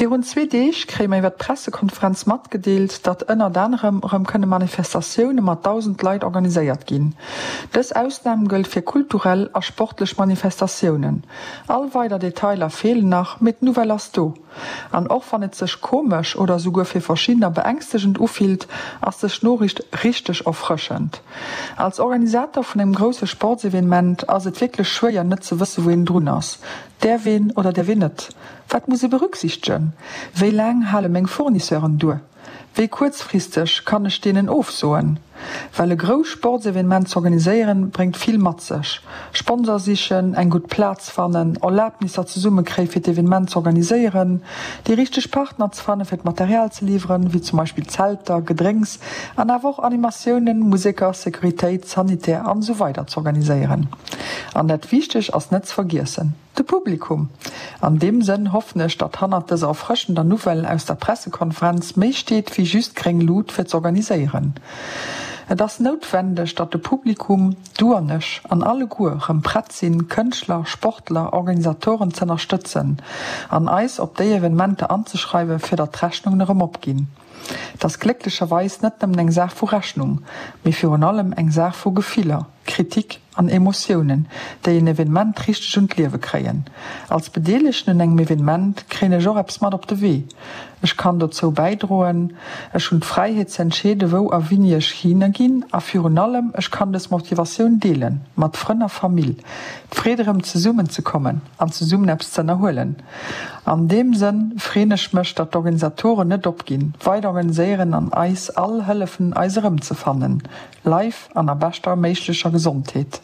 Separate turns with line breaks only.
Virun zwee Deeg kréie mer iwwer d'Pressekonferenz matgedeelt, datt ënnert anerem erëm kënne Manifestatioune mat 1.000 Leit organiséiert ginn. Dës Ausnam gëllt fir kulturell a sportlech Manifestatiounen. All weider Detailer feelen nach, mee d'Nouvelle ass do. An och wann et sech komesch oder esouguer fir verschiddener beängstegend ufillt, ass dës Noriicht richteg erfrëschend. Als Organisator vun engem grousse Sportsevenement ass et wierklech schwéier net ze wësse wou een drun ass. Däerf een oder däerf een net? Wat muss ee berücksichtegen? Wéi laang hale meng Fournisseuren duer? Wéi kuerzfristeg kann ech deenen ofsoen? Well e grousst Sportsevenement z'organiséieren, bréngt vill mat sech, Sponsor sichen, eng gutt Plaz fannen, Erlabnisser zesummekréie fir d'Evenement z'organiséieren, déi richteg Partner ze fanne fir d'Material ze liwweren, wéi zum Beispill Zelter, Gedrénks an awer och Animatiounen, Museker, Sécuritéit, Sanitär an esou weider z'organiséieren. An dat Wichteg ass net ze vergiessen, de Publikum! An deem Sënn hoffen ech, datt hannert dëser erfrëschender Nouvelle aus der Pressekonferenz méi steet wéi just gréng Lut fir z'organiséieren. Et ass noutwendeg, datt de Publikum, du an ech an alleguer rëm prett sinn, Kënschtler, Sportler, Organisatoren z'ënnerstëtzen an eis op déi Evenementer anzeschreiwen, fir datt d'Rechnungen erëm opginn. Et ass glécklecherweis net nëmmen eng Saach vu Rechnung, mee virun allem eng Saach vu Gefiller. Kritik an Emotiounen, déi en Evenement richteg un d'Liewe kréien. Als Bedeelegten un engem Evenement kréien ech och eppes mat op de Wee. Ech kann dozou bäidroen, ech hunn d'Fräiheet ze entscheede wou a wini ech hinner ginn a virun allem ech kann dës Motivatioun deele mat Frënn a Famill. D'Freed erëm zesummen ze kommen an zesummen eppes ze ënnerhuelen. An deem Sënn freen ech mech, datt d'Organisatoren net opginn, weider organiséieren an eis all hëllefen eis erëmzefannen. Live an a beschter méiglecher Gesondheet.